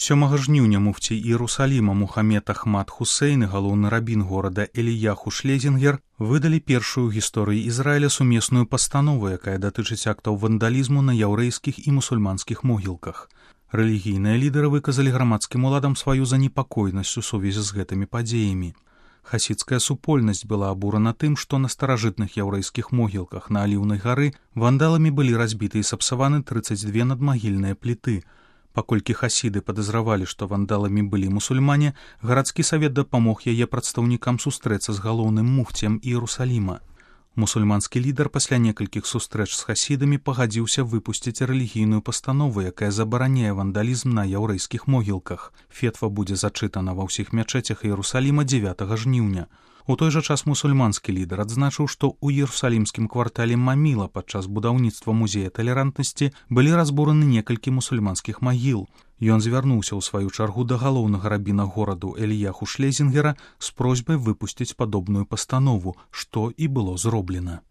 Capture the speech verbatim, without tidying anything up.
сёмага жніўня муфцій Іерусаліма Мухаммед Ахмад Хусейн і галоўны рабін горада Эліяху Шлезінгер выдалі першую ў гісторыі Ізраіля сумесную пастанову, якая датычыць актаў вандалізму на яўрэйскіх і мусульманскіх могілках. Рэлігійныя лідары выказалі грамадскім уладам сваю занепакоенасць у сувязі з гэтымі падзеямі. Хасідская супольнасць была абурана тым, што на старажытных яўрэйскіх могілках на Аліўнай гары вандаламі былі разбіты і сапсаваны трыццаць дзве надмагільныя пліты. Паколькі хасіды падазравалі, што вандаламі былі мусульмане, гарадскі савет дапамог яе прадстаўнікам сустрэцца з галоўным муфціем Іерусаліма. Мусульманскі лідар пасля некалькіх сустрэч з хасідамі пагадзіўся выпусціць рэлігійную пастанову, якая забараняе вандалізм на яўрэйскіх могілках. Фетва будзе зачытана ва ўсіх мячэцях Іерусаліма дзевятага жніўня. У той жа час мусульманскі лідар адзначыў, што ў іерусалімскім квартале Маміла падчас будаўніцтва музея талерантнасці былі разбураны некалькі мусульманскіх магіл. Ён звярнуўся ў сваю чаргу да галоўнага рабіна гораду Эліяху Шлезінгера з просьбай выпусціць падобную пастанову, што і было зроблена.